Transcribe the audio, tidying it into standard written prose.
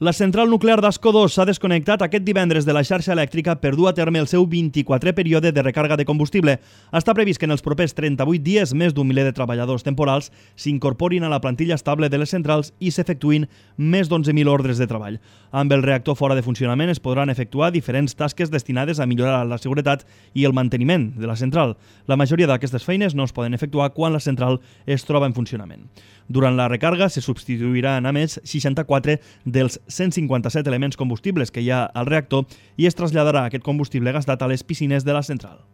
La central nuclear d'Ascó 2 s'ha desconnectat aquest divendres de la xarxa elèctrica per dur a terme el seu 24è període de recàrrega de combustible. Està previst que en els propers 38 dies més d'un miler de treballadors temporals s'incorporin a la plantilla estable de les centrals i s'efectuïn més d'11.000 ordres de treball. Amb el reactor fora de funcionament es podran efectuar diferents tasques destinades a millorar la seguretat i el manteniment de la central. La majoria d'aquestes feines no es poden efectuar quan la central es troba en funcionament. Durant la recàrrega se substituiran a més 64 dels 157 elements combustibles que hi ha al reactor i es traslladarà aquest combustible gastat a les piscines de la central.